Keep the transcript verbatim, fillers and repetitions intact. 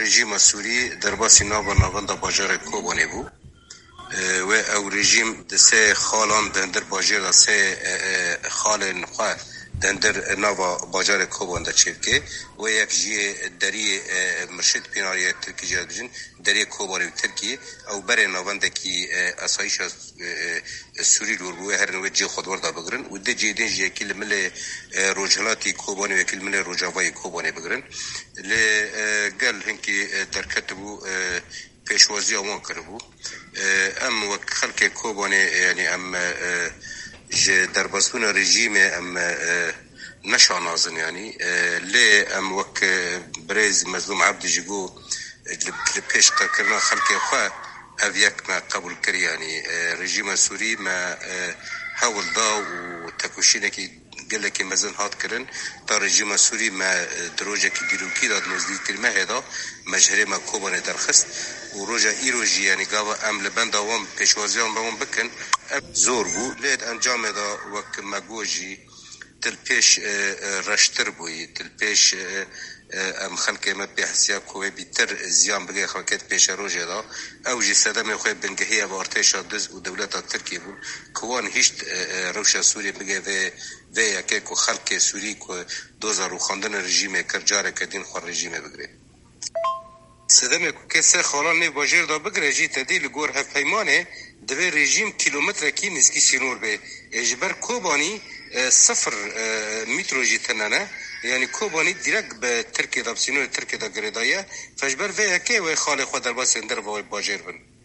Rejîma Sûrî derbasî nava navenda bajarê Kobanê bû. E, wê ew rejîm di sê xalan di hindir bajêr de sê, e, e, xalên xwe di hindir nava bajarê Koban de çêbike. Wê yek jiyê deriyê, e, Mirşid Pînar yê Tirkî jê dibêjin, deriyê Kobanê û Tirkî. Ew berê navendekî, e, asayîşa, e, e, Sûrî li wir bû, wê herin wê cihê xwe di wir de bigirin û di cihê din jî yekî li milê, e, rojhilatî Kobanê û yekî li milê rojavayê Kobanê bigirin. Lê, e, gel hinkî, e, derketibû, e, pêşwaziya wan kiribû. E, em wek xelkê Kobanê, yanî em, e, ji derbasbûna rejîmê em, e, neşanazin yanî. E, lê em wek, e, birêz Mezlûm Ebdî jî got, e, li, li pêş qirkirina xelkê xwe ev yek me qebûl kir yanî. E, rejîma Sûrî me, e, hewl da û tekoşînekî gelekî mezin hat kirin. Ta rejîma Sûrî me, e, di rojekî dîrokî de, di nozdehî mehê de me ji herêma Kobanê derxist û roja îro jî, yanî gava em li benda wan pêşwaziyan be wan bikin, ev zor bû. Lê di encamê de wek me got jî, til pêş, e, e, reştir bûyî, til pêş, e, e, em xelkê me pê hesiya ku wê bîtir ziyan bigê xelkê di pêşerojê de. Ew jî sedemê xwe bingehî ev artêşa diz û dewleta Tirkiyê bûn, ku wan hişt, e, e, rewşa Sûriyê bigê vê, vê yekê ku xelkê Sûrî ku doza rûxandina rejîmê kir, careke din xwe rejîmê bigirê. Sedemê ku kesê xalan nêv bajêr de bigire jî tedî li gor hevpeymanê divê rejîm kîlometrekî nêzîkî sînor bê. Ê ji ber Kobanî, e, sifir, e, mîtro jî tune ne. Yanî Kobanî dîrek bi Tirkiyê de, bi sînorê Tirkiyê de girêdaye. Fe ji ber vê yekê wê xalê xwe derbasên derve wê bajêr bin.